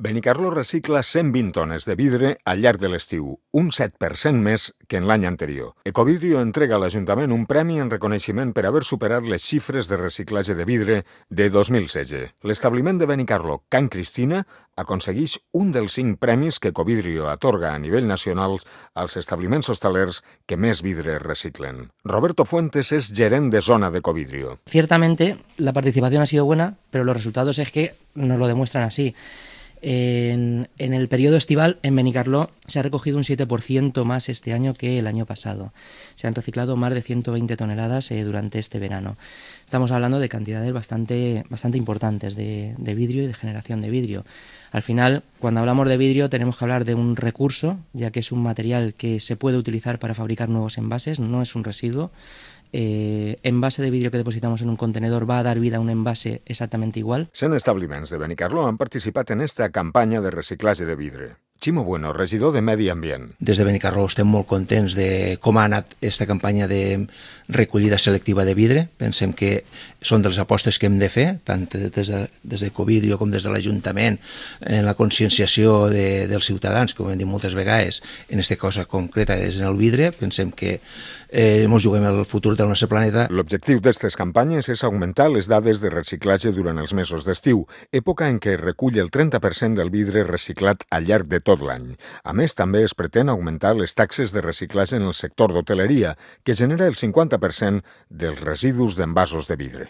Benicarló recicla 120 tones de vidre al llarg de l'estiu, un 7% més que en l'any anterior. Ecovidrio entrega a l'Ajuntament un premi en reconeixement per haver superat les xifres de reciclatge de vidre de 2016. L'establiment de Benicarló, Can Cristina, aconsegueix un dels 5 premis que Ecovidrio atorga a nivell nacional als establiments hostalers que més vidre reciclen. Roberto Fuentes es gerent de zona de Ecovidrio. Ciertamente la participación ha sido buena, pero los resultados es que nos lo demuestran así. En el periodo estival en Benicarló se ha recogido un 7% más este año que el año pasado. Se han reciclado más de 120 toneladas durante este verano. Estamos hablando de cantidades bastante importantes de vidrio y de generación de vidrio. Al final, cuando hablamos de vidrio tenemos que hablar de un recurso, ya que es un material que se puede utilizar para fabricar nuevos envases, no es un residuo. Envase de vidrio que depositamos en un contenedor va a dar vida a un envase exactamente igual. 100 establiments de Benicarló han participat en esta campanya de reciclatge de vidre. Ximo Bueno, regidor de Medi Ambient. Des de Benicarló estem molt contents de com ha anat aquesta campanya de recollida selectiva de vidre. Pensem que són de les apostes que hem de fer, tant des de Ecovidrio com des de l'Ajuntament, en la conscienciació dels ciutadans, com hem dit moltes vegades, en aquesta cosa concreta és en el vidre. Pensem que ens juguem el futur del nostre planeta. L'objectiu d'aquestes campanyes és augmentar les dades de reciclatge durant els mesos d'estiu, època en què es recull el 30% del vidre reciclat al llarg de tot l'any. A més, també es pretén augmentar les taxes de reciclatge en el sector d'hoteleria, que genera el 50% dels residus d'envasos de vidre.